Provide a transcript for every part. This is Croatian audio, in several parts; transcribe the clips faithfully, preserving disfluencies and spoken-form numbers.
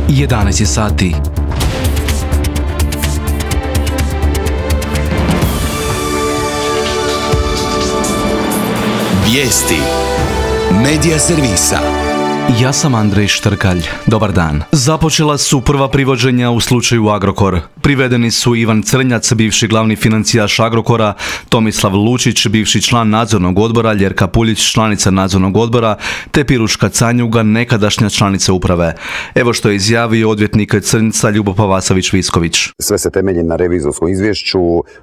jedanaest je sati. Vijesti Medija servisa. Ja sam Andrej Štrkalj. Dobar dan. Započela su prva privođenja u slučaju Agrokor. Privedeni su Ivan Crnjac, bivši glavni financijaš Agrokora, Tomislav Lučić, bivši član nadzornog odbora, Ljerka Puljić, članica nadzornog odbora, te Piruška Canjuga, nekadašnja članica uprave. Evo što je izjavio odvjetnik Crnjca Ljubo Pavasović-Visković. Sve se temelji na revizorskom izvješću,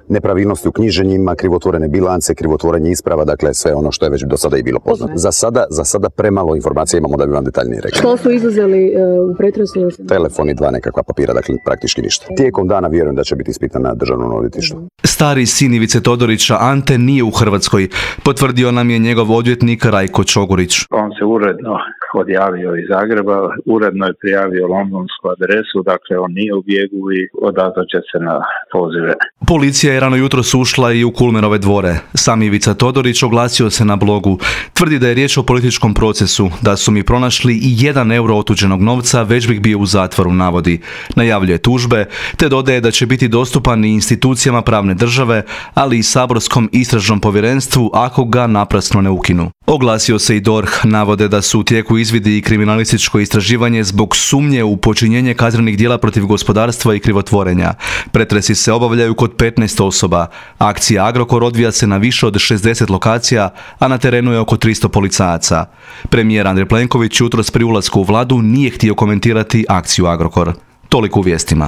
nepravilnosti u knjiženjima, krivotvorene bilance, krivotvorenje isprava, dakle sve ono što je već do sada i bilo poznato. Za sada, za sada premalo informacija imamo da bi vam detaljnije rekli. Što su izuzeli uh, u pretresu? Telefon i dva nekakva papira, dakle praktički ništa. Tijekom dana vjerujem da će biti ispitan na državnom odvjetništvu. Stari sin Ivice Todorića Ante nije u Hrvatskoj, potvrdio nam je njegov odvjetnik Rajko Čogurić. On se uredno odjavio iz Zagreba, uredno je prijavio londonsku adresu, dakle on nije u bijegu i odazvat se na pozive. Policija je rano jutros ušla i u Kulmerove dvore. Sam Ivica Todorić oglasio se na blogu. Tvrdi da je riječ o političkom procesu, da su mi pronašli i jedan euro otuđenog novca, već bih bio u zatvoru, navodi. Najavljuje tužbe, te dodaje da će biti dostupan i institucijama pravne države, ali i saborskom istražnom povjerenstvu ako ga naprasno ne ukinu. Oglasio se i D O R H, navode da su u tijeku izvidi i kriminalističko istraživanje zbog sumnje u počinjenje kaznenih djela protiv gospodarstva i krivotvorenja. Pretresi se obavljaju kod petnaest osoba. Akcija Agrokor odvija se na više od šezdeset lokacija, a na terenu je oko tristo policajaca. Premijer Andrej Plenković jutros pri ulasku u vladu nije htio komentirati akciju Agrokor. Toliko u vijestima.